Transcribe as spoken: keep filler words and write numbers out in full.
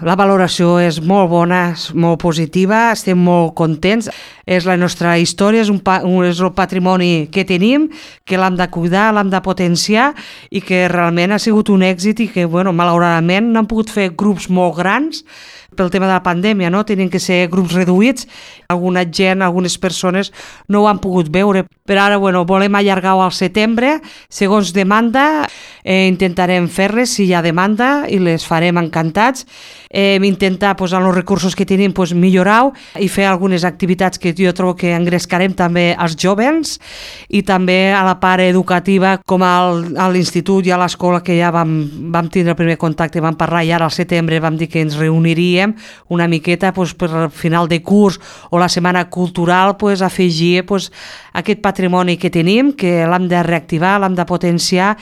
La valoració és molt bona, és molt positiva, estem molt contents. És la nostra història, és, un, pa, un, és el patrimoni que tenim, que l'hem de cuidar, l'hem de potenciar i que realment ha sigut un èxit i que, bueno, malauradament no han pogut fer grups molt grans pel tema de la pandèmia, no? Tenen que ser grups reduïts. Alguna gent, algunes persones no ho han pogut veure. Però ara, bueno, volem allargar-ho al setembre, segons demanda, eh, intentarem fer-les si hi ha demanda i les farem encantats. Eh, intentar, pues, amb els recursos que tenim, pues, millorar-ho i fer algunes activitats que jo trobo que engrescarem també als jovens i també a la part educativa, com al, a l'institut i a l'escola, que ja vam, vam tindre el primer contacte, vam parlar i ara al setembre vam dir que ens reuniríem una miqueta, pues, per al final de curs o la setmana cultural, pues, afegir, pues, aquest patrimoni que tenim, que l'hem de reactivar, l'hem de potenciar